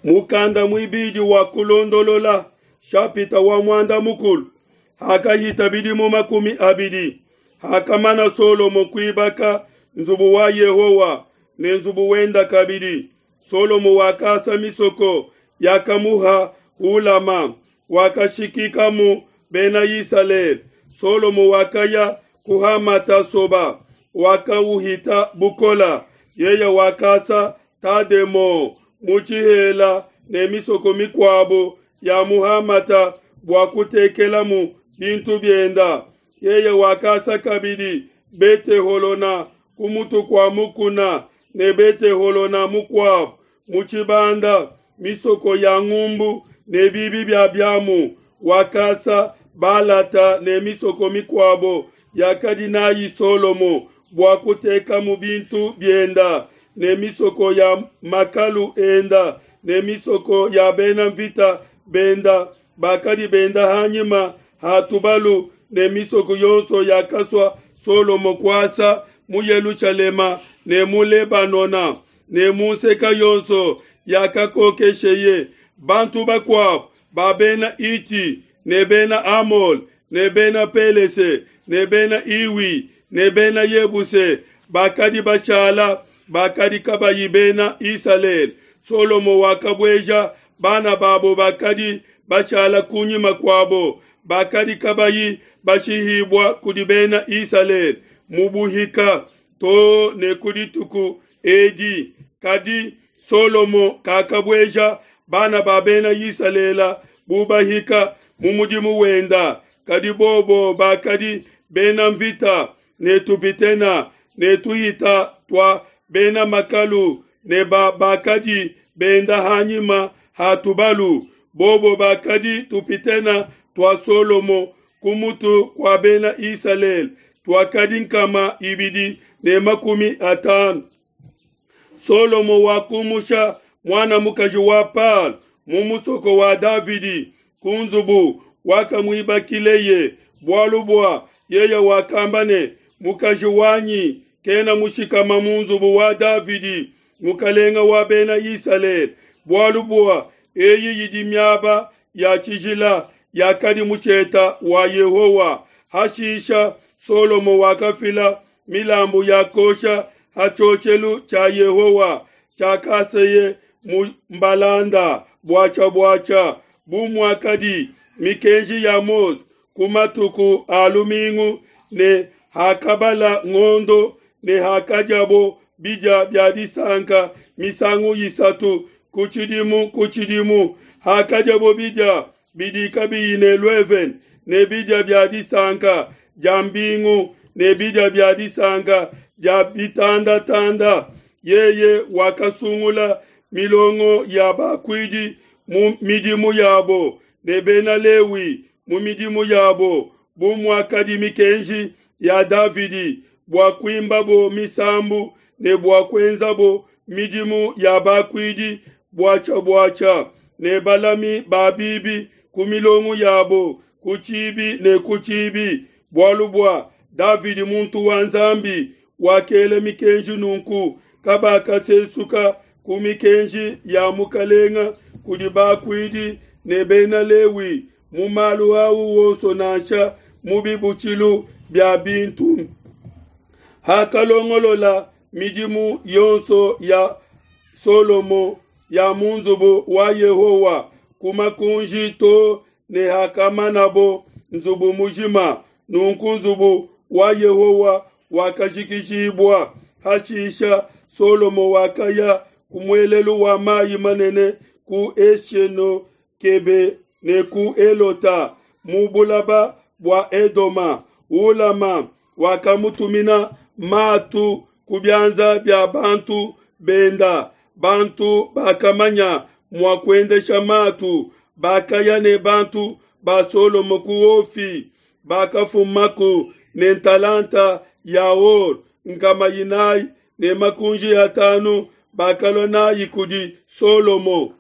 Mukanda muibidi wa Kulondolola, shapita wa muanda mukulu. Hakahita bidimu 20, hakamana Solomo kuibaka nzubu wa Yehowa ne nzubu wenda kabidi, Solomo wakasa misoko yakamuha Hulama, wakashikikamu Bena Isalele. Solomo wakaya ku Hamata-soba, wakauhita bukola. Yeye wakasa Tademo mu tshihela ne misoko mikuabo ya mu Hamata bua kutekelamu bintu bienda. Yeye wakasa kabidi Bete-holona ku mutu kua mukuna ne Bete-holona mukuabo mu tshibanda, misoko ya ngumbu ne bibi bia biamu. Wakasa Balata ne misoko mikuabo yakadi nayi Solomo bua kutekamu bintu bienda, ne misoko ya makalu enda ne misoko ya bena mvita benda bakadi benda hanyima ha tubalu, ne misoko yonso yakasua Solomo kuasa mu Yelushalema ne mu Lebanona ne mu nseka yonso yakakokesheye. Bantu bakuabo ba bena Iti ne bena Amole ne bena Pelese ne bena Iwi ne bena Yebuse bakadi bashala bakadi kabayi bena Isalele. Solomo wakabueja bana babo bakadi bashala kunyima kuabo bakadi kabayi bashihibua kudi bena Isalele mu buhika to ne ku dituku edi. Kadi Solomo kakabueja bana ba bena Isalele bu bahika mu mudimu wenda, kadi bobo bakadi bena mvita ne tupitena ne tuhita tua bena makalu ne ba bakadi benda hanyima ha tubalu. Bobo bakadi tupitena tua Solomo ku mutu kua bena Isalele tuakadi 250. Solomo wakumusha muana mukaji wa Palo mu musoko wa Davidi ku nzubu wakamuibakileye, bualu bua yeye wakamba ne, mukaji wanyi kena mushikama mu nzubu wa Davidi mukalenga wa bena Isalele, bualu bua eyi yidi miaba ya tshijila yakadi musheta wa Yehowa. Hashisha Solomo wakafila milambu ya kosha ha tshioshelu tshia Yehowa tshiakaseye mu mbalanda buatshia buatshia, bu muakadi mikenji ya Mose ku matuku a lumingu ne hakabala ngondo ne hakadiabo bidia bia disanka misangu isatu ku tshidimu ku tshidimu, hakadiabo bidia bidi kabiyi ne luevene ne bidia bia disanka dia mbingu ne bidia bia disanka dia bitandatanda. Yeye wakasungula milongo ya bakuidi mu midimu yabo ne bena Lewi mu midimu yabo, bu muakadi mikenji ya Davidi, bua kuimbabo misambu ne bua kuenzabo midimu ya bakuidi buatshia buatshia, ne balami ba bibi ku milongo yabo ku tshibi ne ku tshibi. Bualu bua Davidi muntu wa Nzambi wakela mikenji nunku, kabakasesuka ku mikenji ya mukalenga kudi bakuidi ne bena Lewi mu malu au wonso nansha mu bibutshilu bia bintu. Hakalongolola midimu yonso ya Solomo ya mu nzubu wa Yehowa ku makunji to ne hakamanabo nzubu mujima, nunku nzubu wa Yehowa wakajikijibua. Hashisha Solomo wakaya ku muelelu wa mayi manene ku Esienokebe ne ku Elota mu bulaba bua Edoma. Hulama wakamutumina matu ku bianza bia bantu benda. Bantu bakamanya mua kuendesha matu bakaya ne bantu ba Solomo ku Ofi, bakafumaku ne ntalanta ya or 450, bakalua nayi kudi Solomo.